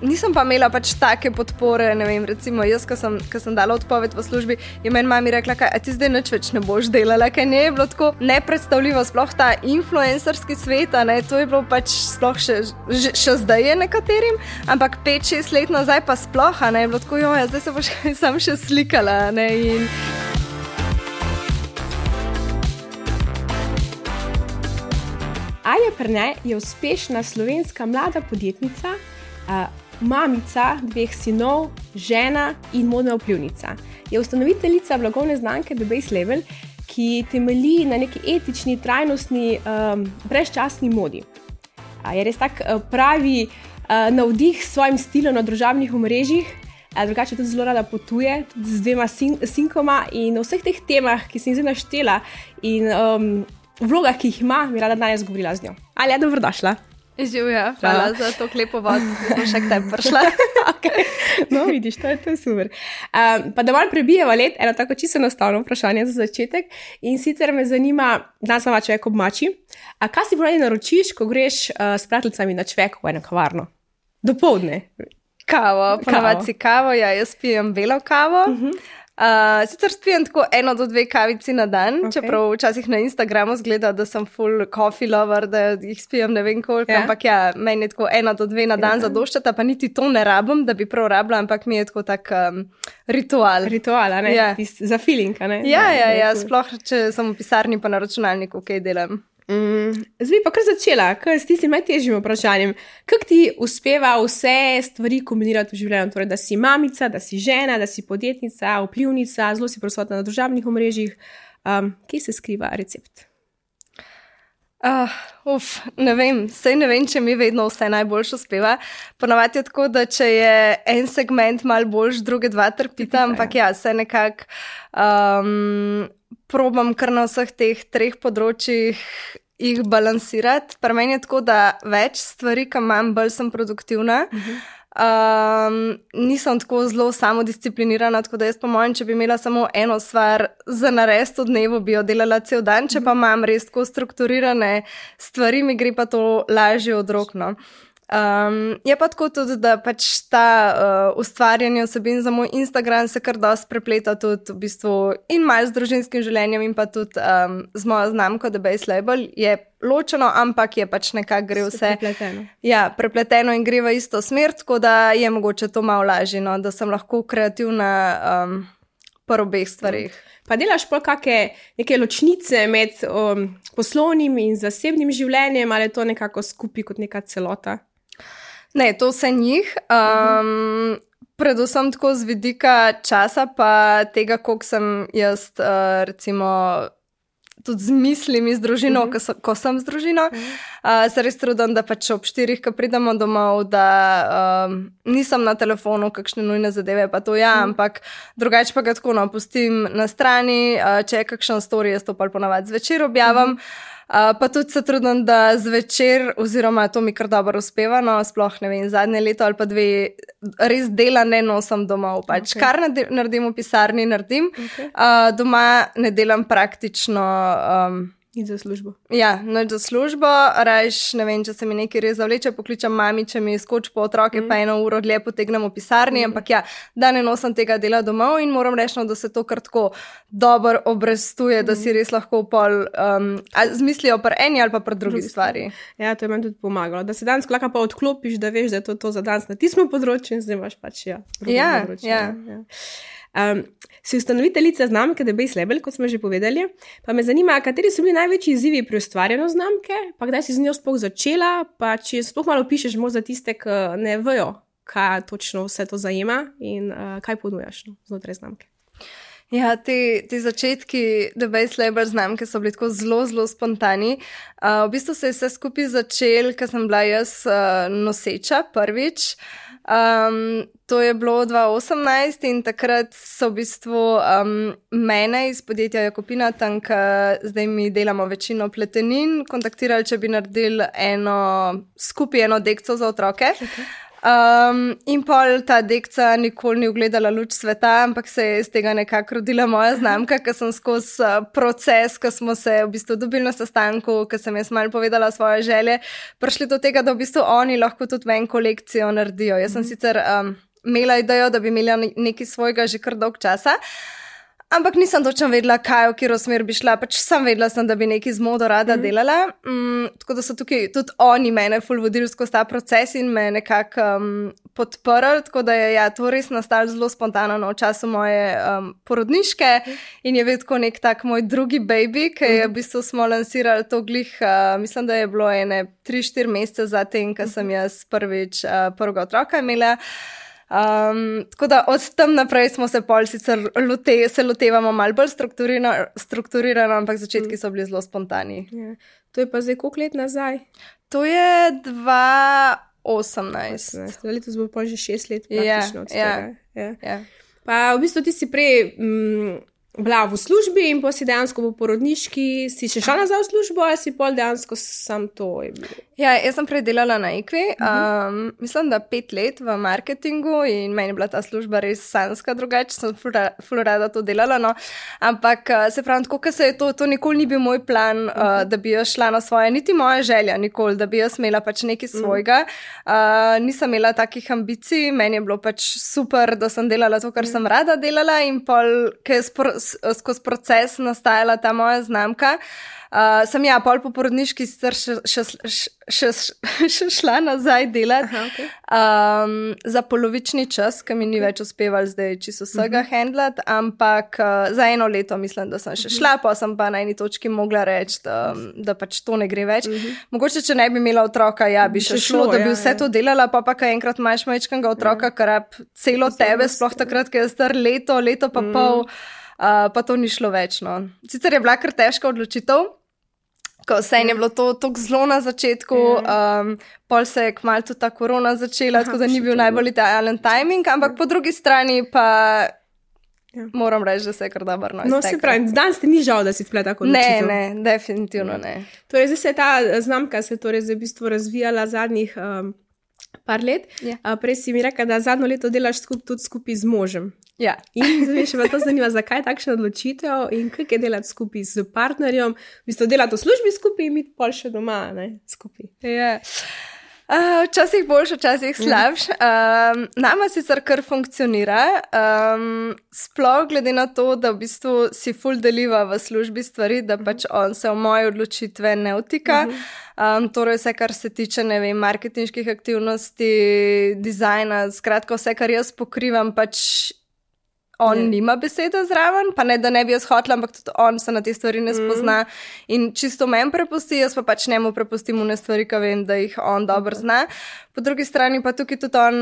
nisem pa imela pač take podpore, ne vem, recimo jaz, ko sem dala odpoved v službi, je meni mami rekla, a ti zdaj nič več ne boš delala, kaj ne je bilo tako nepredstavljivo, sploh ta influencerski svet, ne, to je bilo pač sploh še zdaj je nekaterim, ampak 5-6 let nazaj pa sploh, ne, je bilo tako, zdaj se boš sam še slikala, ne, in... Alja Perne je uspešna slovenska mlada podjetnica, mamica 2 sinov, žena in modna vplivnica. Je ustanoviteljica blagovne znamke The Base Label, ki temelji na neki etični, trajnostni, brezčasni modi. Je res tak pravi navdih s svojim stilom na družabnih omrežjih, drugače tudi zelo rada potuje, tudi z 2 sinkoma in o vseh teh temah, ki sem jih zdaj naštela in vlogah, ki jih ima, bi rada danes govorila z njo. Alja, dobrodošla. Živja, hvala za to klepo vod, da sem še k tebi prišla. Okay. No, vidiš, to je super. Pa da malo prebijeva let, eno tako čisto enostavno vprašanje za začetek. In sicer me zanima, danes ima človek ob mači, a kaj si ponavadi naročiš, ko greš s prijateljicami na čvek v eno kavarno? Dopoldne. Kavo, ponavadi si kavo, jaz pijem belo kavo. Sicer spijem tako 1 do 2 kavici na dan, čeprav včasih na Instagramu zgleda, da sem full coffee lover, da jih spijem ne vem koliko, ampak meni je tako 1 do 2 na dan zadoščata, pa niti to ne rabim, da bi prav rabila, ampak mi je tako tak ritual. Ritual, ne? Ja. Za feeling, ne? Ja, sploh, če sem v pisarni pa na računalniku, kaj delam. Zdaj pa kar začela, s tistim najtežjim vprašanjem. Kako ti uspeva vse stvari kombinirati v življenju? Torej, da si mamica, da si žena, da si podjetnica, vplivnica, zelo si prisotna na družabnih omrežjih. Kje se skriva recept? Ne vem, ne vem, če mi vedno vse najboljše uspeva. Ponavadi je tako, da če je en segment malo boljš, druge 2 trpita, ampak se nekako probam kar na vseh teh 3 področjih jih balansirati. Pri meni je tako, da več stvari, ki imam, bolj sem produktivna. Nisem tako zelo samodisciplinirana, tako da jaz po mojem, če bi imela samo eno stvar za narediti v dnevu, bi jo delala cel dan, če pa imam res tako strukturirane stvari, mi gre pa to lažje od rok, no. Je pa tako tudi, da pač ta ustvarjanje vsebin za moj Instagram se kar dosti prepleta tudi v bistvu in malo z družinskim življenjem in pa tudi z mojo znamko The Base Label. Je ločeno, ampak je pač nekako gre vse prepleteno. Ja, prepleteno in gre v isto smer, tako da je mogoče to malo lažje, no, da sem lahko kreativna po obeh stvarih. Pa delaš pa neke ločnice med poslovnim in zasebnim življenjem, ali je to nekako skupaj kot neka celota? Ne, to vse njih. Predvsem tako z vidika časa, pa tega, koliko sem jaz recimo tudi z mislimi z družino, ko sem z družino. Se res trudim, da pač ob 4, ko pridemo domov, da nisem na telefonu, kakšne nujne zadeve, pa to ampak drugače pa ga tako pustim na strani, če je kakšen story, jaz to pa ponavadi zvečer objavim. Pa tudi se trudim, da zvečer, oziroma to mi kar dobro uspeva, no, sploh ne vem, zadnje leto ali pa 2 res dela ne nosim domov, pač kar naredim v pisarni, naredim, doma ne delam praktično In za službo. Ja, noč za službo, rajš, ne vem, če se mi nekaj res zavleče, pokličem mami, če mi skoči po otroke, pa 1 uro dlje potegnem v pisarni, ampak da ne nosim tega dela domov in moram reči, da se to kar tako dobro obrestuje, da si res lahko pol zmislijo pri eni ali pa pri drugi stvari. Ja, to je meni tudi pomagalo, da se danes klaka pa odklopiš, da veš, da je to za danes na tistem področju in zdaj imaš pač področje. Si ustanoviteljica znamke The Base Label, kot smo že povedali, pa me zanima, kateri so bili največji izzivi pri ustvarjanju znamke, pa kdaj si z njo sploh začela, pa če sploh malo pišeš za tiste, ki ne vejo, kaj točno vse to zajema in kaj ponujaš znotraj znamke. Ja, ti začetki The Base Label znamke so bili tako zelo, zelo spontani. V bistvu se je vse skupaj začel, ker sem bila jaz noseča prvič. To je bilo 2018 in takrat so v bistvu mene iz podjetja Jakopina, tam, zdaj mi delamo večino pletenin, kontaktirali, če bi naredili skupaj eno dekco za otroke. In pol ta dekca nikoli ni ugledala luč sveta, ampak se je iz tega nekako rodila moja znamka, ker sem skozi proces, ko smo se v bistvu dobili na sestanku, ko sem jaz malo povedala svoje želje, prišli do tega, da v bistvu oni lahko tudi ven kolekcijo naredijo. Jaz sem sicer imela idejo, da bi imela nekaj svojega že kar dolg časa, ampak nisem točno vedela, kaj, v katero smer bi šla, pač sem vedela, da bi nekaj z modo rada delala, tako da so tukaj tudi oni mene ful vodili skozi ta proces in me nekako podprli, tako da je to res nastalo zelo spontano v času moje porodniške in je vedno nek tak moj drugi baby, ki je v bistvu smo lansirali to glih, mislim, da je bilo 3-4 mesece zatem, ko sem jaz prvič prvega otroka imela. Tako da od tam naprej smo se pol sicer lotevamo malo bolj strukturirano, ampak začetki so bili zelo spontani. Ja. To je pa zdaj koliko let nazaj? To je 2018. Letos bo pa že 6 let praktično od tega. Ja. Pa v bistvu ti si prej bila v službi in pa si dejansko v porodniški, si še šla nazaj v službo ali si pol dejansko sam to je bilo? Ja, jaz sem prej delala na Equi, mislim, da 5 let v marketingu in meni je bila ta služba res sanjska drugače, sem ful rada to delala, no. Ampak se pravim, tako, ker se je to nikoli ni bil moj plan, da bi jaz šla na svoje, niti moja želja nikoli, da bi jaz imela pač nekaj svojega. Nisem imela takih ambicij, meni je bilo pač super, da sem delala to, kar sem rada delala in pol, ker je skozi proces nastajala ta moja znamka, sem pol po porodniški sicer še šla nazaj delati. Aha, okay. Za polovični čas, ki mi ni več uspeval zdaj čisto vsega handlati, ampak za 1 leto mislim, da sem še šla, pa sem pa na eni točki mogla reči, da pač to ne gre več. Mogoče, če ne bi imela otroka, bi še šlo, da bi vse to delala, pa kaj enkrat imaš majčkega otroka, kar celo tebe, sploh takrat, ker je star leto pa pol, pa to ni šlo več. No. Sicer je bila kar težka odločitev, ko vse je bilo to zelo na začetku, pol se je kmalu tudi ta korona začela, tako da ni bil najbolj idealen timing, ampak po drugi strani pa moram reči, da se je kar dobro izteklo. No, se pravi, danes ti ni žal, da si splet tako odločitev? Ne, definitivno ne. Torej, zdaj se je ta znamka v bistvu razvijala zadnjih par let. Prej si mi rekla, da zadnjo leto delaš tudi skupaj z možem. Ja. In zdaj še me to zanima, zakaj takšna odločitev in kako je delati skupaj z partnerjem, v bistvu delati v službi skupaj in biti pol še doma, ne, skupaj. Ja. Včasih boljš, včasih slabš. Nama sicer kar funkcionira, sploh glede na to, da v bistvu si ful deliva v službi stvari, da pač on se v moje odločitve ne vtika. Torej vse, kar se tiče, ne vem, marketinških aktivnosti, dizajna, skratka vse, kar jaz pokrivam, pač on nima besede zraven, pa ne, da ne bi jaz hotela, ampak tudi on se na te stvari ne spozna in čisto meni prepusti, jaz pa pač njemu prepustim une stvari, ki vem, da jih on dobro zna. Po drugi strani pa tukaj tudi on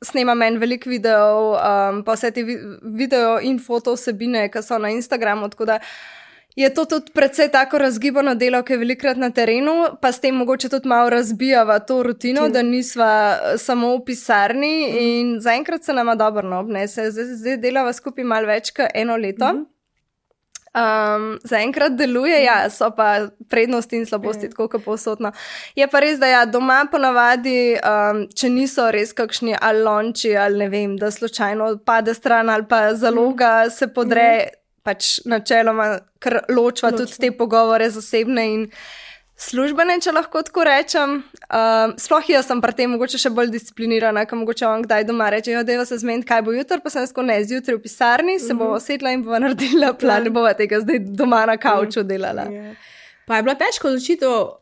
snema meni veliko videov, pa vse te video in foto vsebine, ki so na Instagramu, tako da je to tudi precej tako razgibano delo, ki je velikrat na terenu, pa s tem mogoče tudi malo razbijava to rutino, da nisva samo v pisarni in zaenkrat se nama dobro obnese. Zdaj delava skupaj malo več kot 1 leto. Zaenkrat deluje, so pa prednosti in slabosti, tako kot povsodno. Je pa res, da doma ponavadi, če niso res kakšni ali lonči ali ne vem, da slučajno pade stran ali pa zaloga se podre, pač načeloma kar ločva tudi te pogovore zasebne in službene, če lahko tako rečem. Sploh jaz sem pri tem mogoče še bolj disciplinirana, ker mogoče on kdaj doma reče, dajva se zmeniti, kaj bo jutri, pa sem tako zjutraj v pisarni, se bova sedla in bova naredila plan, ne bova tega zdaj doma na kavču delala. Pa je bila težka odločitev,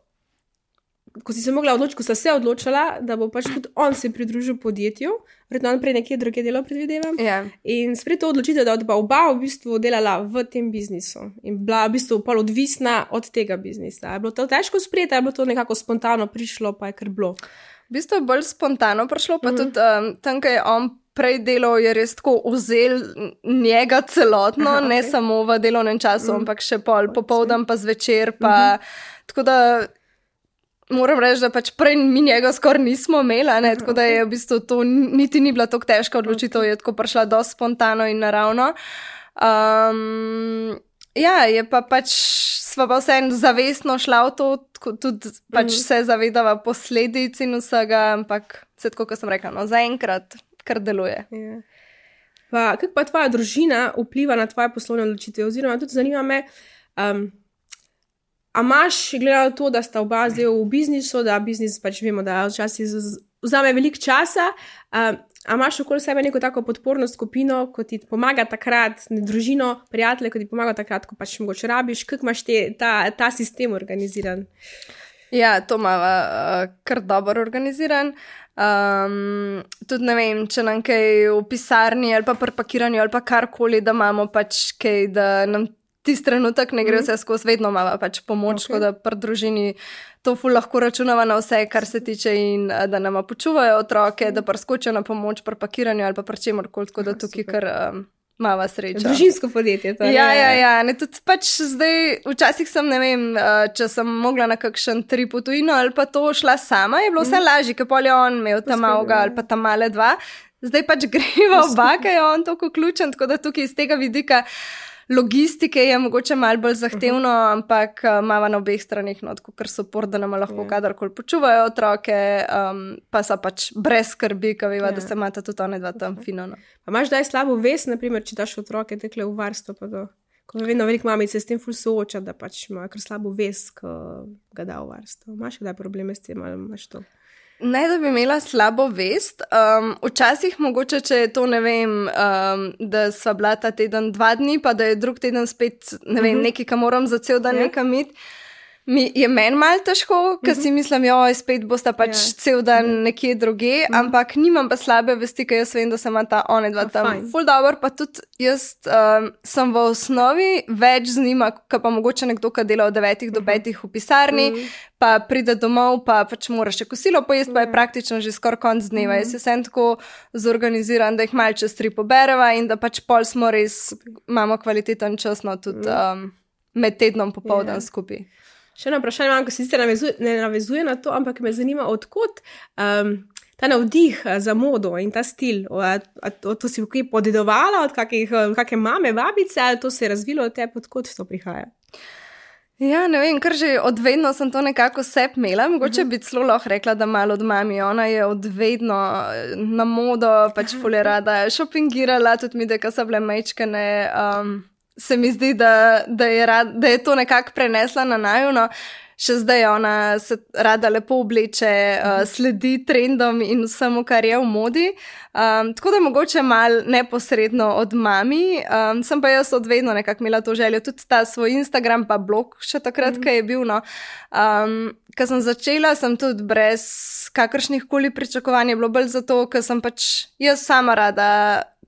ko si se mogla odločiti, ko sta se odločila, da bo pač tudi on se pridružil podjetju, verjetno on prej nekje druge delo predvidevam. In spred to odločitev, da pa oba v bistvu delala v tem biznisu in bila v bistvu pol odvisna od tega biznisa. Je bilo to težko sprejeti, ali je bilo to nekako spontano prišlo, pa je kar bilo? V bistvu je bolj spontano prišlo, pa tudi tam, ko je on prej delal, je res tako vzel njega celotno, ne samo v delovnem času, ampak še pol popoldan pa zvečer, pa tako da moram reči, da pač prej mi njega skoraj nismo imela, ne, tako da je v bistvu to niti ni bila tako težka odločitev, je tako prišla dosti spontano in naravno. Ja, je pa pač sva pa vseeno zavestno šla v to, tudi pač se zavedava posledic in vsega, ampak vse tako, kot sem rekla, no, zaenkrat kar deluje. Ja. Kako pa tvoja družina vpliva na tvoje poslovne odločitve? Oziroma, tudi zanima me, a imaš, glede na to, da sta oba zdaj v biznisu, da biznis pač vemo, da včasih vzame veliko časa, a imaš okoli sebe neko tako podporno skupino, ko ti pomaga takrat, družino, prijatelje, ko ti pomaga takrat, ko pač mogoče rabiš, kako imaš ta sistem organiziran? Ja, to imava kar dobro organiziran. Tudi ne vem, če nam kaj v pisarni ali pa pri pakiranju ali pa karkoli, da imamo pač kaj, da nam tisti trenutek ne gre vse skozi, vedno imava pač pomoč, okay. Da pri družini to ful lahko računava na vse, kar se tiče in da nama počuvajo otroke, da preskočijo na pomoč pri pakiranju ali pa pri čemorkoli, tako da tukaj kar mava sreča. Družinsko podjetje to. Ja, ne, tudi pač zdaj, včasih sem, ne vem, če sem mogla na kakšen trip v tujino ali pa to šla sama, je bilo vse lažje, ker pol je on imel tam malega ali pa tam male dva. Zdaj pač greva oba, ker je on toliko ključen, tako da tukaj iz tega vidika logistike je mogoče malo bolj zahtevno, ampak imava na obeh stranih kar support, da nam lahko kadarkoli počuvajo otroke, pa so pač brez skrbi, ker veva, da se imata tudi one dva tam fino. No. Pa imaš daj slabo vest, naprimer, če daš otroke tekle v varstvo, pa to, ko vedno veliko mamice s tem ful sooča, da pač ima kar slabo vest, ko ga da v varstvo. Imaš kdaj probleme s tem, ali imaš to? Ne, da bi imela slabo vest. Včasih mogoče, če je to, ne vem, da sva bila ta teden 2 dni, pa da je drug teden spet, ne vem, nekaj, ka moram za cel dan nekam iti, je meni malo težko, ker si mislim, spet bosta pač cel dan nekje druge, ampak nimam pa slabe vesti, ker jaz vem, da se ima ta one dva tam ful dobro, pa tudi jaz sem v osnovi več z njima, kot pa mogoče nekdo, ki dela od 9 do 5 v pisarni, pa pride domov, pa pač mora še kosilo pojesti, pa je praktično že skoraj konc dneva. Jaz sem tako zorganiziran, da jih malo čez 3 pobereva in da pač pol smo res, imamo kvaliteten čas, no tudi med tednom popoldan skupaj. Še eno vprašanje imam, ko se sicer ne navezuje na to, ampak me zanima, odkot ta navdih za modo in ta stil. To si kaj podedovala od kakšne mame, babice, ali to se je razvilo od tebe, odkot to prihaja? Ja, ne vem, ker že od vedno sem to nekako sebi imela. Mogoče bi celo lahko rekla, da malo od mami. Ona je od vedno na modo, pač ful je rada šopingirala, tudi mi, da so bile majčkane. Se mi zdi, da je to nekako prenesla na naju, no. Še zdaj ona se rada lepo obleče, sledi trendom in vsemu, kar je v modi. Tako da mogoče malo neposredno od mami, sem pa jaz od vedno nekako imela to željo. Tudi ta svoj Instagram pa blog še takrat, ko je bil, no. Ko sem začela, sem tudi brez kakršnih koli pričakovanj, je bilo bolj zato, ker sem pač jaz sama rada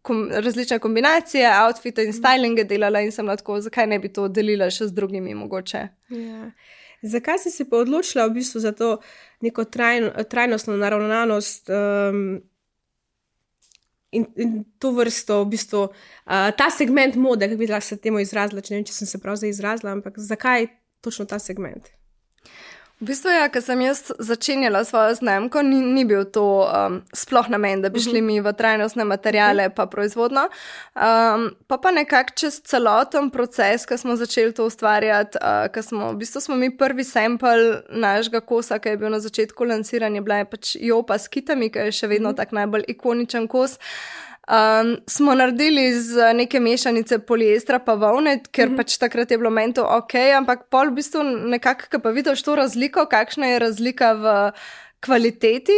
različne kombinacije, outfite in stylinge delala in sem lahko, zakaj ne bi to delila še z drugimi mogoče. Ja. Zakaj si se pa odločila v bistvu za to neko trajnostno naravnanost in to vrsto, v bistvu, ta segment mode, kako bi se temu izrazila, če ne vem, če sem se prav zdaj izrazila, ampak zakaj točno ta segment? V bistvu, ja, ko sem jaz začenjala svojo znamko, ni bil to sploh namen, da bi šli mi v trajnostne materiale pa proizvodno. Pa nekako čez celoten proces, ko smo začeli to ustvarjati, v bistvu smo mi prvi sample našega kosa, ki je bil na začetku lansiranja, bila je pač jopa s kitami, ki je še vedno tak najbolj ikoničen kos. Smo naredili z neke mešanice poliestra pa volne, ker pač takrat je bilo meni to ok, ampak pol v bistvu nekako, ko pa vidiš to razliko, kakšna je razlika v kvaliteti,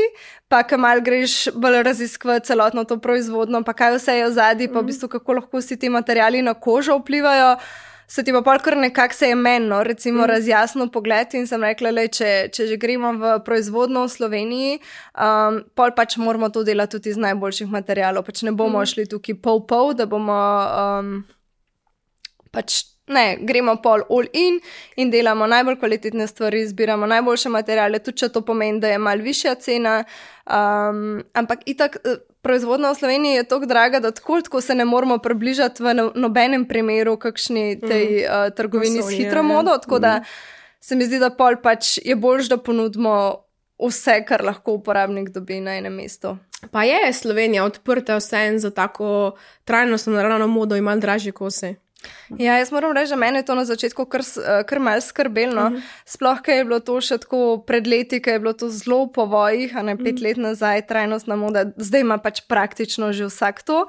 pa ko mal greš bolj raziskovati celotno to proizvodno, pa kaj vse je v zadnji, pa v bistvu kako lahko vsi ti materiali na kožo vplivajo, se ti pa pol kar nekako se je menno, recimo razjasno pogled in sem rekla, če že gremo v proizvodno v Sloveniji, pol pač moramo to delati tudi iz najboljših materialov, pač ne bomo šli tukaj pol, da bomo pač ne, gremo pol all in delamo najbolj kvalitetne stvari, zbiramo najboljše materiale, tudi če to pomeni, da je malo višja cena, ampak itak proizvodnja v Sloveniji je toliko draga, da tako se ne moramo približati v nobenem primeru kakšni tej trgovini s hitro modo, tako da se mi zdi, da pol pač je boljš, da ponudimo vse, kar lahko uporabnik dobi na enem mestu. Pa je Slovenija odprta vseeno za tako trajnostno naravnano modo in malo dražje kose? Ja, jaz moram reči, da mene je to na začetku kar malo skrbelo. Sploh, ker je bilo to še tako pred leti, ker je bilo to zelo po vojih, 5 let nazaj, trajnostna moda, zdaj ima pač praktično že vsak to.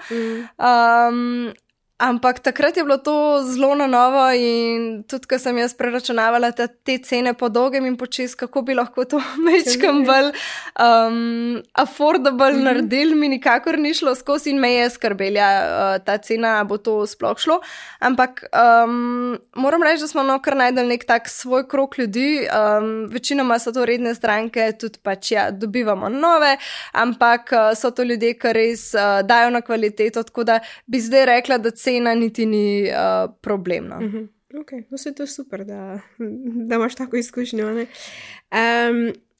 Ampak takrat je bilo to zelo na novo in tudi, ko sem jaz preračunavala te cene po dolgem in počes, kako bi lahko to mečkam bolj affordable naredili, mi nikakor ni šlo skozi in me je skrbela ta cena, bo to sploh šlo. Ampak moram reči, da smo kar najdel nek tak svoj krog ljudi, večinoma so to redne stranke, tudi pač dobivamo nove, ampak so to ljudje, ki res dajo na kvaliteto, tako da bi zdaj rekla, da cena niti ni problemna. Okay. No, se to je super, da imaš tako izkušnjo.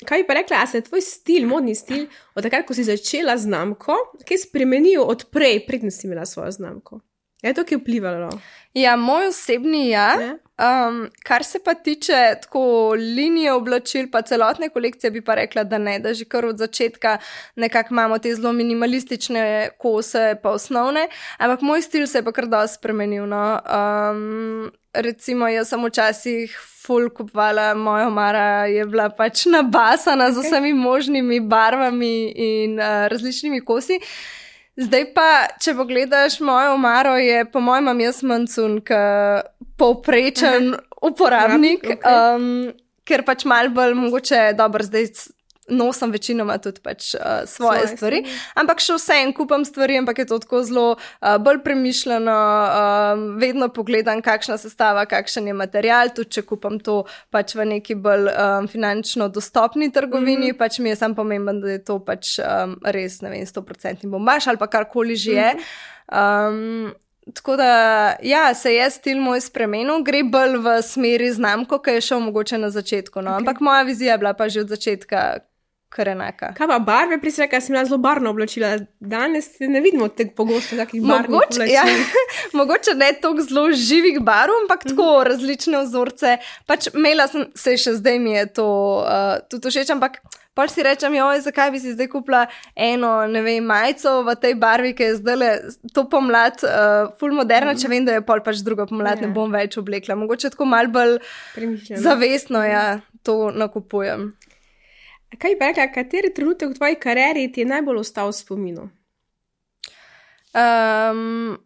Kaj bi pa rekla, a se je tvoj stil, modni stil, od takrat, ko si začela znamko, kaj spremenil od prej, predtem si imela svojo znamko? Je to, ki je vplivalo? Ja, moj osebni kar se pa tiče tako linije oblačil, pa celotne kolekcije bi pa rekla, da ne, da že kar od začetka nekako imamo te zelo minimalistične kose pa osnovne, ampak moj stil se je pa kar dosti spremenil, no. Recimo, jaz sem včasih ful kupovala, moja omara je bila pač nabasana z vsemi možnimi barvami in različnimi kosi. Zdaj pa, če pogledaš mojo omaro, je po mojem jaz mancun, povprečen uporabnik, ker pač malo bolj mogoče dobro zdaj nosim večinoma tudi pač svoje stvari, ampak še vseeno kupam stvari, ampak je to tako zelo bolj premišljeno, vedno pogledam, kakšna sestava, kakšen je material, tudi če kupam to pač v neki bolj finančno dostopni trgovini, pač mi je samo pomemben, da je to pač res, ne vem, 100% bombaž ali pa karkoli že je. Tako da, ja, se je stil moj spremenil, gre bolj v smeri znamko, ki je šel mogoče na začetku, no, ampak moja vizija je bila pa že od začetka kar enaka. Kaj pa barve, prisreka, sem bila zelo barvno oblačila, danes ne vidimo tako pogosto takih barvnih oblačil. Ja, mogoče ne toliko zelo živih barv, ampak tako različne vzorce, pač imela sem, se še zdaj mi je to tudi všeč, ampak pol si rečem, zakaj bi si zdaj kupila eno, ne vem, majico v tej barvi, ki je zdaj to pomlad ful moderna, če vem, da je pol pač druga pomlad, ne bom več oblekla. Mogoče tako malo bolj zavestno, to nakupujem. Kaj bi rekla, kateri trenutek v tvoji karieri ti je najbolj ostal v spominu?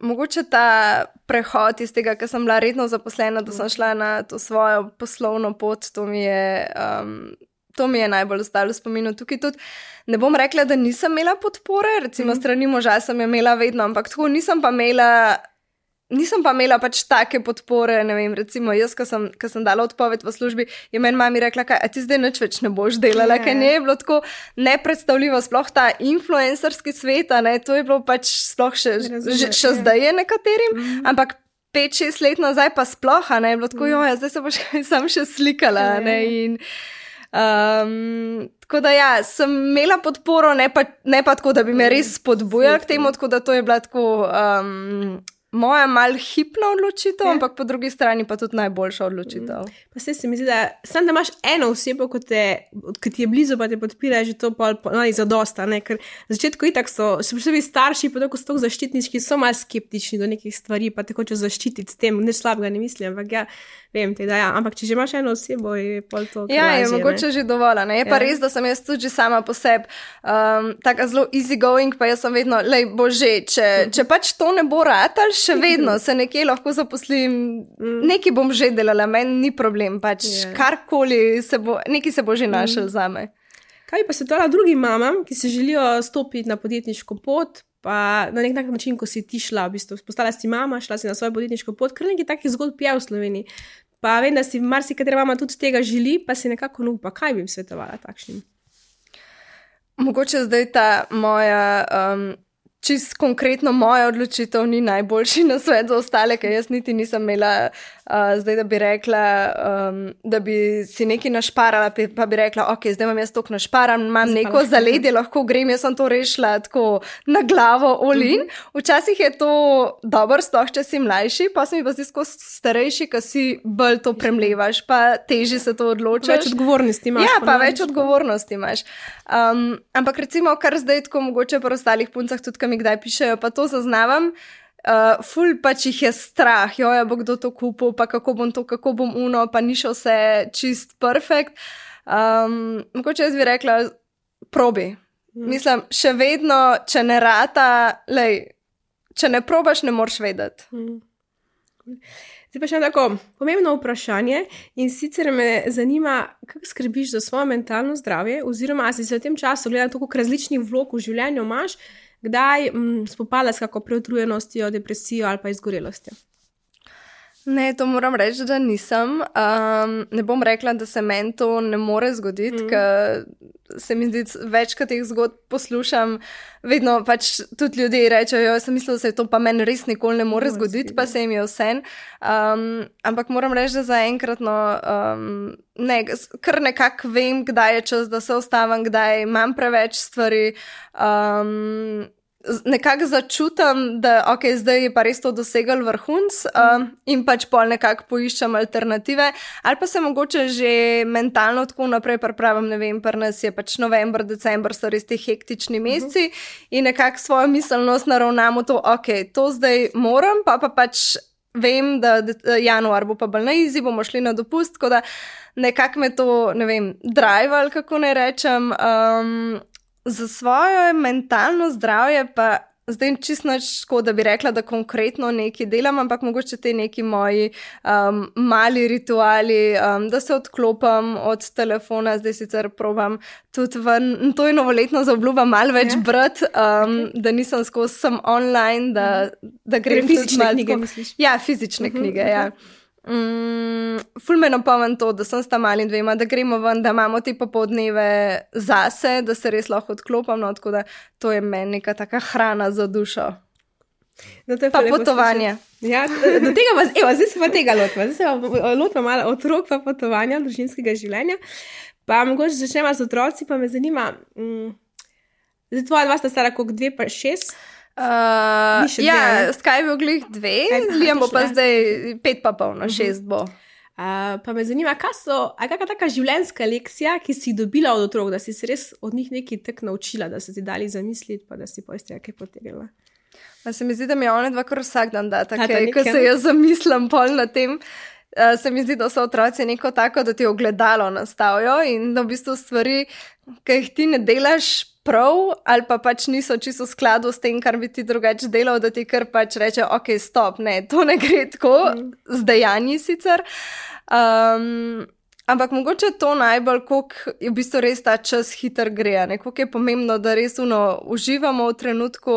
Mogoče ta prehod iz tega, ker sem bila redno zaposlena, da sem šla na to svojo poslovno pot, to mi je najbolj ostalo v spominu. Tukaj tudi ne bom rekla, da nisem imela podpore, recimo strani moža sem jo imela vedno, ampak tako nisem pa imela pač take podpore, ne vem, recimo jaz, ko sem dala odpoved v službi, je meni mami rekla, a ti zdaj nič več ne boš delala, ker ne je bilo tako nepredstavljivo, sploh ta influencerski svet, ne, to je bilo pač sploh še zdaj je nekaterim, ampak 5-6 let nazaj pa sploh, ne, je bilo tako, zdaj se boš sam še slikala, ne, in tako da sem imela podporo, ne pa tako, da bi me res spodbujala k temu, tako da to je bila tako moja mal hipna odločitev, ampak po drugi strani pa tudi najboljša odločitev. Pa se mi zdi, da imaš eno osebo, ki ti je blizu, pa te podpira, že to zadosta, ne, ker na začetku itak so, še posebej starši, pa tako so tako zaščitniški, so malo skeptični do nekih stvari, pa te hočejo zaščititi s tem, nič slabega ne mislim, ampak vem te, da ampak če že imaš eno osebo, je pol to krvažje. Ja, je mogoče že dovolj, ne, je pa res, da sem jaz tudi že sama po sebi taka zelo easy going, pa jaz sem vedno, bože, če pač to ne bo ratal, še vedno se nekje lahko zaposlim, nekaj bom že delala, meni ni problem, pač karkoli nekaj se bo že našel zame. Kaj pa svetovala drugim mamam, ki se želijo stopiti na podjetniško pot, pa na nek način, ko si ti šla, v bistvu, postala si mama, šla si na svojo podjetniško pot, ker nekaj takih zgodb je v Sloveniji. Pa vem, da si marsikatera mama tudi tega želi, pa si nekako upa. Kaj bi jim svetovala takšnim? Mogoče zdaj ta moja čist konkretno moja odločitev ni najboljši na svet za ostale, ker jaz niti nisem imela zdaj, da bi rekla, da bi si nekaj našparala, pa bi rekla, ok, zdaj imam jaz toliko našparam, imam neko zaledje, lahko grem, jaz sem to rešila tako na glavo, all in. Včasih je to dobro, sploh če si mlajši, pa se mi pa zdi skozi starejši, ko si bolj to premlevaš, pa težje se to odločaš. Več odgovornosti imaš. Ja, pa več odgovornosti imaš. Ampak recimo, kar zdaj tako mogoče po ostalih puncah, tudi, ki mi kdaj pišejo, pa to zaznavam, ful pač jih je strah, joja bo kdo to kupil, pa kako bom to, kako bom uno, pa ni še vse čist perfekt. Mogoče jaz bi rekla, probi. Mislim, še vedno, če ne rata, če ne probaš, ne moreš vedeti. Zdaj pa še tako pomembno vprašanje in sicer me zanima, kako skrbiš za svoje mentalno zdravje oziroma si se v tem času, glede na to, koliko različnih vlog v življenju imaš, kdaj spopada s kako preutrujenostjo, depresijo ali pa izgorelostjo? Ne, to moram reči, da nisem. Ne bom rekla, da se meni to ne more zgoditi, ker se mi zdi, večkrat teh zgodb poslušam, vedno pač tudi ljudje rečejo, jaz sem mislila, da se to pa meni res nikoli ne more zgoditi, pa se jim je vse. Ampak moram reči, da zaenkrat kar nekako vem, kdaj je čas, da se ustavim, kdaj imam preveč stvari. Nekako začutam, da zdaj je pa res to dosegel vrhunc in pač pol nekako poiščem alternative, ali pa se mogoče že mentalno tako naprej pripravim, ne vem, pri nas je pač november, december so res ti hektični meseci in nekako svojo miselnost naravnamo to, to zdaj moram, pa pač vem, da januar bo pa bolj na easy, bomo šli na dopust, tako da nekako me to, ne vem, drive ali kako ne rečem, za svoje mentalno zdravje pa zdaj čisto tako, da bi rekla, da konkretno nekaj delam, ampak mogoče te neki moji mali rituali, da se odklopam od telefona, zdaj sicer probam tudi ven, to je novoletno zaobljubam malo več brati, da nisem skozi sem online, da grem fizične knjige, misliš? Ja, fizične knjige, ja. Ful me napomnim to, da sem s tam mali dvema, da gremo ven, da imamo te popoldneve zase, da se res lahko odklopam, no, tako da to je meni neka taka hrana za dušo. No, pa potovanje. Ja, do tega zdaj se pa tega lotva. Zdaj se pa lotva malo otrok pa potovanja, družinskega življenja. Pa mogoče začnemo z otroci, pa me zanima, zdaj tvoja dva sta stara koliko 2 pa 6? Skaj je bil glih 2, Liam bo pa zdaj 5 pa polno, 6 bo. Pa me zanima, kakšna taka življenjska lekcija, ki si dobila od otrok, da si se res od njih nekaj tak naučila, da so ti dali zamisliti, pa da si pa iz tega kaj potegnila? Se mi zdi, da mi je one dva kar vsak dan data, ko se jaz zamislim pol na tem. Se mi zdi, da so otroci neko tako, da ti ogledalo nastavijo in da v bistvu stvari, ki jih ti ne delaš prav ali pa pač niso čisto v skladu s tem, kar bi ti drugače delal, da ti kar pač reče, stop, ne, to ne gre tako, z dejanji sicer. Ampak mogoče to najbolj, koliko je v bistvu res ta čas hiter gre, koliko je pomembno, da res uživamo v trenutku,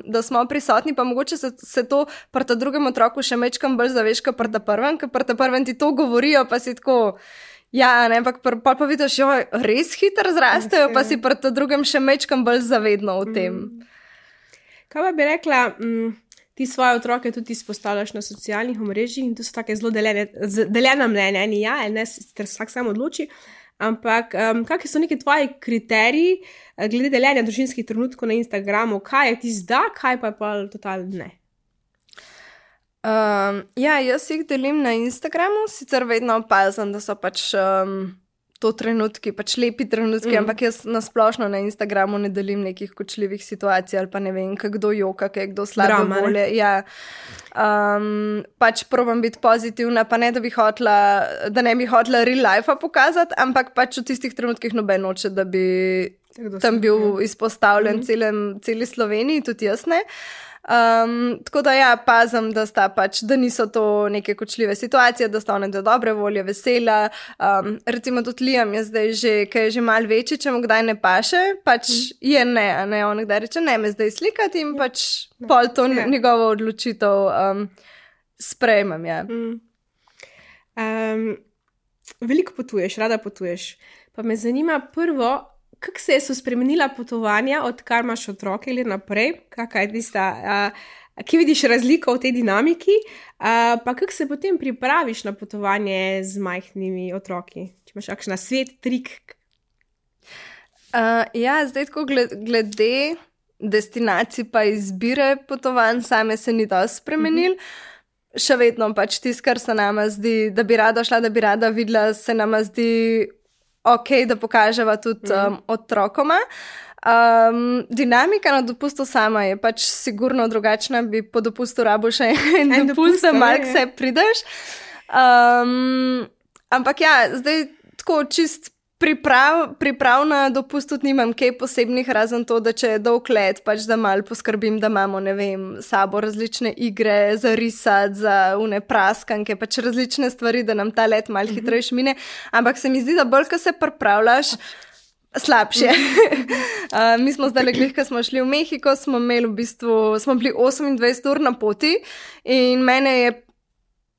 da smo prisotni, pa mogoče se to pri ta drugem otroku še mečkam bolj zaveš, kot pri ta prvem, ker pri ta prvem ti to govorijo, pa si tako, ampak pa vidiš, res hiter zrastejo, pa si pri ta drugem še mečkam bolj zavedno v tem. Kaj pa bi rekla, ti svoje otroke tudi izpostavljaš na socialnih omrežjih in to so take zelo deljena mnenja, ne, vsak sam odloči, ampak kakšni so neki tvoji kriteriji glede deljenja družinskih trenutkov na Instagramu, kaj je ti zdaj, kaj pa je pa totalno ne? Jaz jih delim na Instagramu, sicer vedno opazim, da so pač to trenutki, pač lepi trenutki, ampak jaz nasplošno na Instagramu ne delim nekih kočljivih situacij ali pa ne vem, kdo joka, kdo slabe volje. Pač probam biti pozitivna, pa ne, da ne bi hotela real life pokazati, ampak pač v tistih trenutkih noben noče, da bi tam bil izpostavljen celi Sloveniji, tudi jaz ne. Tako da pazim, da niso to neke kočljive situacije, da sta one do dobre volje, vesela. Recimo tudi Liam je zdaj že, ker je že malo večji, če mu kdaj ne paše, pač je ne, on kdaj reče, ne me zdaj slikati in pač pol to njegovo odločitev sprejmem, Veliko potuješ, rada potuješ. Pa me zanima prvo, kako se so spremenila potovanja, odkar imaš otroke ali naprej? Kakaj je tista, kje vidiš razliko v tej dinamiki? Pa kako se potem pripraviš na potovanje z majhnimi otroki? Če imaš kakšen svet, trik? Zdaj tako glede destinacij pa izbire potovanj, same se ni dosti spremenil. Še vedno pač tisto, kar se nama zdi, da bi rada šla, da bi rada videla, se nama zdi da pokaževa tudi otrokoma. Dinamika na dopustu sama je pač sigurno drugačna, bi po dopustu rabo še en dopust, da malk se prideš. Ampak ja, zdaj tako čist priprav na dopust tudi nimam kaj posebnih, razen to, da če je dolg let, pač da malo poskrbim, da imamo, ne vem, sabo različne igre za risati, za une praskanke, pač različne stvari, da nam ta let malo hitrejš mine. Ampak se mi zdi, da bolj, ko se pripravljaš, slabše. Mi smo zdaj glih, ko smo šli v Mehiko, smo bili 28 ur na poti in mene je,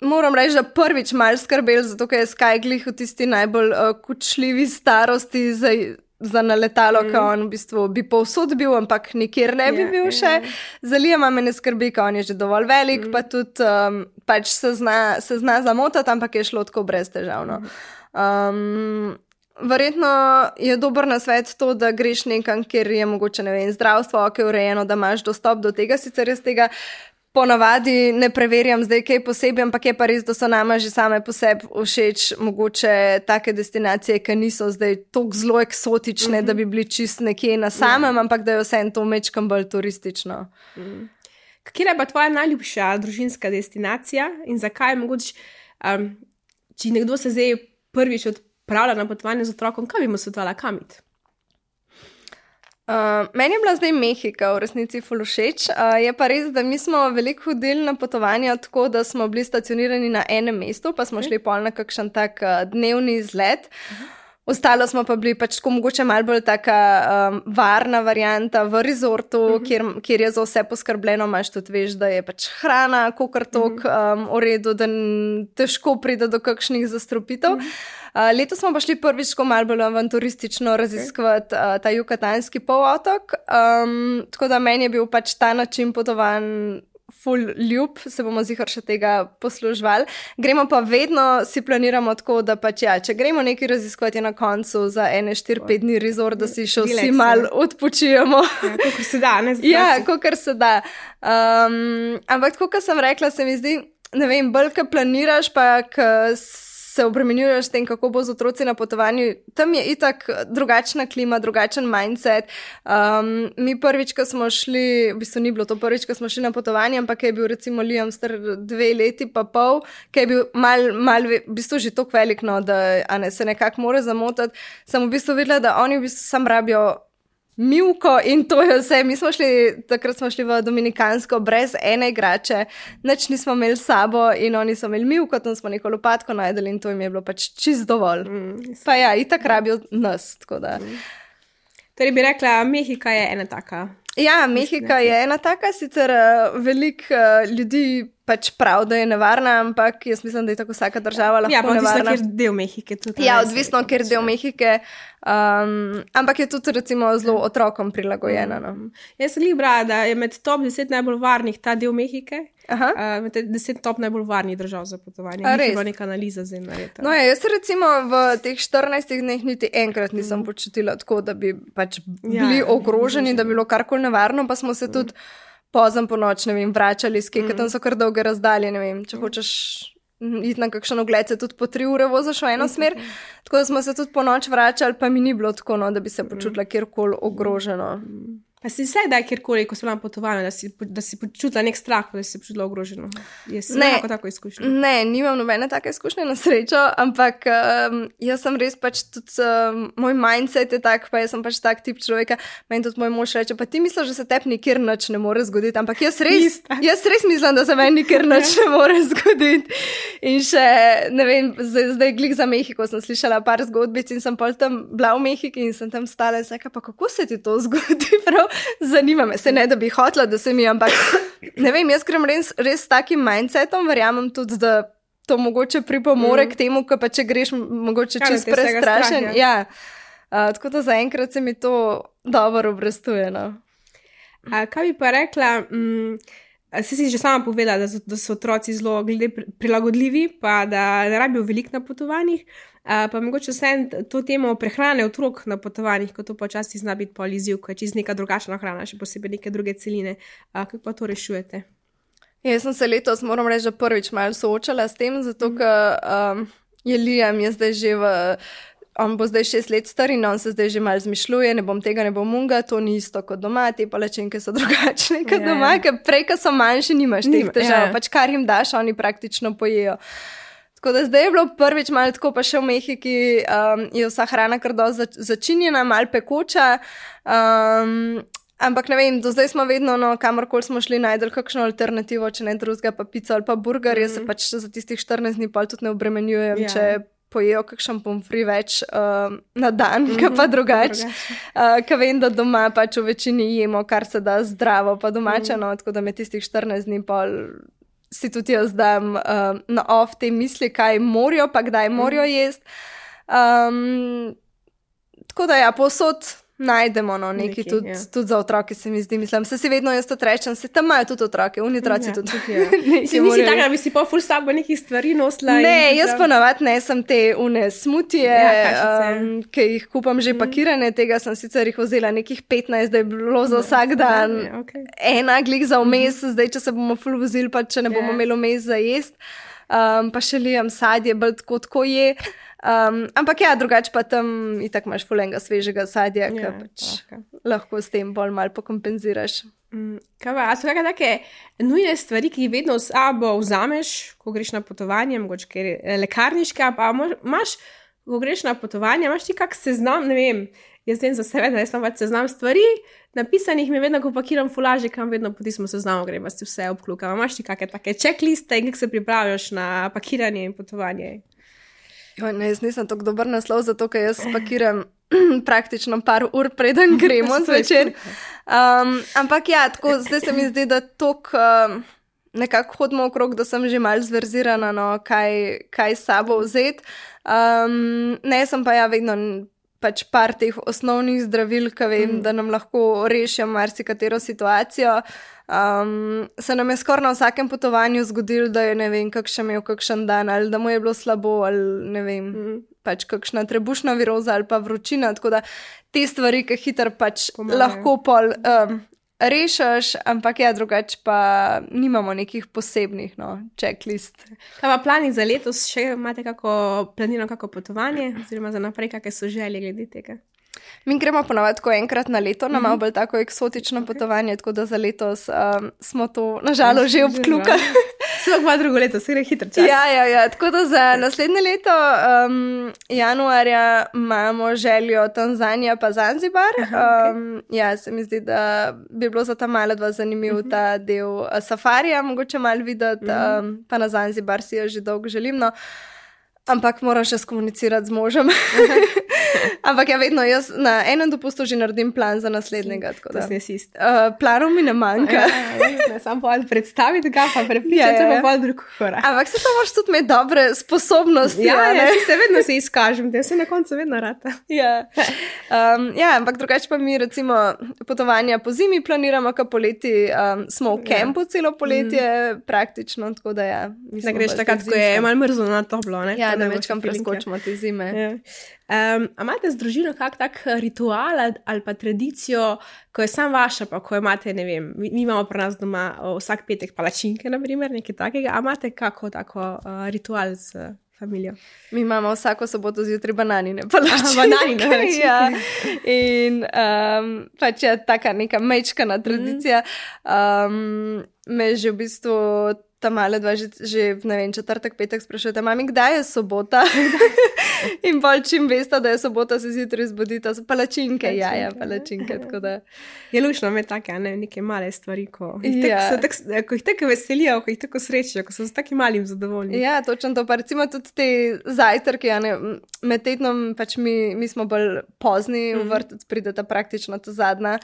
moram reči, da prvič malo skrbel, zato ker je Sky glih v tisti najbolj kučljivi starosti za naletalo, ko on v bistvu bi povsod bil, ampak nikjer ne bi bil še. Za Liama me ne skrbi, ko on je že dovolj velik, pa tudi pač se zna zamotati, ampak je šlo tako brez težavno. Verjetno je dober nasvet to, da greš nekam, kjer je mogoče, ne vem, zdravstvo, ki je urejeno, da imaš dostop do tega, sicer jaz tega ponavadi ne preverjam zdaj kaj posebej, ampak je pa res, da so nama že same po sebi všeč mogoče take destinacije, ki niso zdaj toliko zelo eksotične, da bi bili čist nekje na samem, ampak da je vseeno to mečkam bolj turistično. Katera je pa tvoja najljubša družinska destinacija in zakaj mogoče, če nekdo se zdaj prvič odpravlja na potovanje z otrokom, kaj bi mu svetovala, kam iti? Meni je bila zdaj Mehika v resnici ful všeč. Je pa res, da mi smo veliko hodili na potovanja tako, da smo bili stacionirani na enem mestu, pa smo šli pol na kakšen tak dnevni izlet. Ostalo smo pa bili pač tako mogoče malo bolj taka varna varianta v resortu, kjer je za vse poskrbljeno, imaš tudi veš, da je pač hrana kakor tok v redu, da težko pride do kakšnih zastrupitev. Letos smo pa šli prvič malo bolj avanturistično raziskovati ta Yukatanski polotok, tako da meni je bil pač ta način potovanj ful ljub, se bomo zihar še tega posluževali. Gremo pa vedno, si planiramo tako, da pač ja, če gremo nekaj raziskovati na koncu za 4-5 dni resort, da si še vsi malo odpočijemo. Kakor se da, ne? Ja, kakor se da. Ampak tako, kot sem rekla, se mi zdi, ne vem, bolj, ko planiraš, pa se obremenjuješ s tem, kako bo z otroci na potovanju. Tam je itak drugačna klima, drugačen mindset. Mi prvič, ko smo šli, v bistvu ni bilo to prvič, ko smo šli na potovanje, ampak je bil recimo Liam star 2 leti pa pol, ki je bil mal v bistvu že toliko velik, no, da se nekako more zamotati. Sem v bistvu videla, da oni v bistvu sam rabijo mivko in to je vse. Takrat smo šli v Dominikansko brez ene igrače, nič nismo imeli s sabo in oni so imeli mivko, tam smo neko lopatko najdeli in to jim je bilo pač čist dovolj. Pa ja, itak rabijo nas, tako da. Torej bi rekla, Mehika je ena taka. Ja, Mehika je ena taka, sicer veliko ljudi pač prav, da je nevarna, ampak jaz mislim, da je tako vsaka država lahko nevarna. Ja, pa odvisno, kjer del Mehike. Ja, odvisno, kjer del Mehike, ampak je tudi recimo zelo otrokom prilagojena. No. Jaz sem brala, da je med top 10 najbolj varnih ta del Mehike, med 10 top najbolj varnih držav za potovanje. Ni bila neka analiza zdaj narejena. No ja, jaz se recimo v teh 14 dneh niti enkrat nisem počutila tako, da bi pač bili ogroženi, da bi bilo karkoli nevarno, pa smo se tudi pozem po noč, ne vem, vračali s kje, tam so kar dolge razdalje, ne vem, če hočeš iti na kakšen ogled, se tudi po 3 ure voziš v eno smer, tako da smo se tudi po noč vračali, pa mi ni bilo tako, no, da bi se počutila kjerkoli ogroženo. Pa si se daj kjerkoli, ko sem vam potovala, da si počutila nek strah, da si se počutila ogroženo? Je nekako tako izkušnja? Ne, nimam nobene take izkušnje na srečo, ampak jaz sem res pač tudi, moj mindset je tak, pa jaz sem pač tak tip človeka, meni tudi moj mož reče, pa ti misliš, da se tebi nikjer nič ne more zgoditi, ampak jaz res mislim, da se meni nikjer nič ne more zgoditi. In še, ne vem, zdaj glih za Mehiko sem slišala par zgodbic in sem pol tam bila v Mehiki in sem tam stala in seka, pa kako se ti to zgodi, prav? Zanima me, se ne, da bi hotela, da se mi, ampak ne vem, jaz grem res s takim mindsetom, verjamem tudi, da to mogoče pripomore k temu, ko pa če greš mogoče čist prestrašen. Ja. Tako da zaenkrat se mi to dobro obrestuje. No. Kaj bi pa rekla, si že sama povedala, da so otroci zelo prilagodljivi, pa da ne rabijo veliko na potovanjih, pa mogoče vse to temo prehrane otrok na potovanjih, ko to počasi zna biti pol izziv, ko je čist neka drugačna hrana, še posebej neke druge celine. Kako pa to rešujete? Jaz sem se letos, moram reči, prvič malo soočala s tem, zato ker je Liam je zdaj že on bo zdaj 6 let star in on se zdaj že malo zmišljuje, ne bom tega, ne bom unga, to ni isto kot doma, te palačinke so drugačne kot doma, ker prej, ko so manjši, nimaš teh težav, pač kar jim daš, oni praktično pojejo. Tako da zdaj je bilo prvič malo tako, pa še v Mehiki je vsa hrana kar dosti začinjena, malo pekoča, ampak ne vem, do zdaj smo vedno, kamorkoli smo šli, najdel kakšno alternativo, če ne drugega, pa pico ali pa burger, jaz se pač za tistih 14 dni pol tudi ne obremenjujem, če pojejo kakšen pomfri več na dan, pa drugače. Ker vem, da doma pač v večini jemo, kar se da zdravo pa domače, tako da me tistih 14 dni pol si tudi jaz dam na off te misli, kaj morajo, pa kdaj morajo jesti. Tako da ja, povsod najdemo nekaj tudi za otroke, se mi zdi. Mislim, se si vedno jaz to rečem, se tam imajo tudi otroke, oni otroci tudi. Si nisi taka, da bi si pa ful sabo nekih stvari nosila? Ne, jaz ponavadi nesem te smutije, ki jih kupam že pakirane, tega sem sicer jih vzela nekih 15, da je bilo za vsak dan ena glih za vmes, zdaj če se bomo ful vozili, pa če ne bomo imeli vmes za jest, pa še lijem sadje, bolj tako je. Ampak ja, drugače pa tam itak imaš fulenga svežega sadja, ki pač lahko s tem bolj malo pokompenziraš. Kaj pa, a so kakšne take nujne stvari, ki jih vedno s sabo vzameš, ko greš na potovanje, mogoče ker je lekarniška, pa imaš, ko greš na potovanje, imaš ti kak seznam, ne vem, jaz vem za sebe, da jaz imam pač seznam stvari, napisanih mi vedno, ko pakiram fulaže, kam vedno po tistem seznamu grem, si vse obklukam. Imaš ti kakšne take checkliste in kako se pripravljaš na pakiranje in potovanje? Ne, jaz nisem tako dober naslov, zato ker jaz pakiram praktično par ur preden gremo zvečer. Ampak ja, tako zdaj se mi zdi, da toliko nekako hodimo okrog, da sem že malo zverzirana, kaj s sabo vzeti. Ne, sem pa ja vedno pač par teh osnovnih zdravil, ki vem, da nam lahko rešijo marsikatero situacijo. Se nam je skoraj na vsakem potovanju zgodilo, da je ne vem, kakšen imel kakšen dan, ali da mu je bilo slabo, ali ne vem, pač kakšna trebušna viroza ali pa vročina, tako da te stvari, ki hitro pač lahko pol rešiš, ampak ja, drugače pa nimamo nekih posebnih checklist. Kaj pa plani za letos, še imate planirano kako potovanje, oziroma za naprej, kakšne so želje glede tega? Mi gremo ponavadi tako enkrat na leto, na malo bolj tako eksotično potovanje, tako da za letos smo to nažalost že obklukali. Svoj pa drugo leto, se gre hitro čas. Ja, tako da za naslednje leto, januarja, imamo željo Tanzanija pa Zanzibar. Ja, se mi zdi, da bi bilo za ta malo dva zanimiv ta del safarija, mogoče malo videti, pa na Zanzibar si jo že dolgo želim, ampak moram še skomunicirati z možem. Ampak ja, vedno jaz na enem dopustu že naredim plan za naslednjega. To si nesist. Planov mi ne manjka. Ne sam pa prestaviti ga, pa prepričati, pa pa drug korak. Ampak se to moraš tudi imeti dobre sposobnosti. Ja, se vedno se izkažem, te se na koncu vedno rata. Ja, ampak drugače pa mi recimo potovanja po zimi planiramo, ka poleti smo v kempu celo poletje praktično, tako da ja. Da greš takrat, ko je malo mrzlo na toplo, ne? Ja, da večkam preskočimo te zime. Ja. A imate z družino kak tak ritual ali pa tradicijo, ko je sam vaša, pa ko imate, ne vem, mi imamo pri nas doma vsak petek palačinke, na primer, nekaj takega, a imate kako tako ritual z familijo? Mi imamo vsako soboto zjutraj bananine palačinke. Bananine, ja. In pač je taka neka mečkana tradicija. Me že v bistvu ta male dva že ne vem, četrtek, petek sprašujete, mami, kdaj je sobota? In bolj čim veste, da je sobota, se zjutraj zbudita, so palačinke, palačinke, tako da. Je lušno imeti take, neke male stvari, ko jih tako veselijo, ko jih tako srečijo, ko so s takim malim zadovoljni. Ja, točno to, pa recimo tudi te zajtrke, med tednom pač mi smo bolj pozni, v vrtec prideta praktično ta zadnja,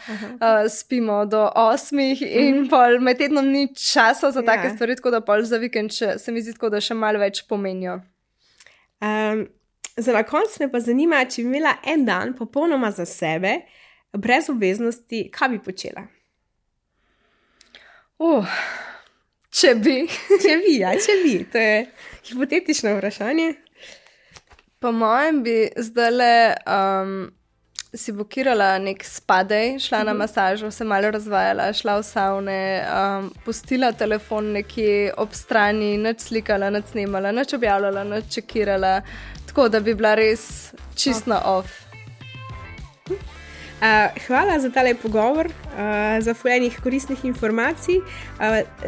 spimo do 8 in pol med tednom ni časa za take stvari, tako da pol za vikend se mi zdi tako, da še malo več pomenijo. Za na koncu me pa zanima, če bi imela en dan popolnoma za sebe, brez obveznosti, kaj bi počela? Če bi. Če bi. To je hipotetično vprašanje. Po mojem bi zdajle si blokirala nek spadej, šla na masažo, se malo razvajala, šla v savne, pustila telefon nekje ob strani, nič slikala, nič snemala, nič objavljala, nič čekirala, tako da bi bila res čisto off. Hvala za tale pogovor, za fuljenih koristnih informacij.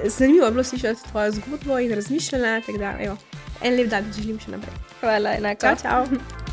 Zanimivo je bilo slišati tvojo zgodbo in razmišljanja, tako da, en lep dan želim še naprej. Hvala, enako. Čau.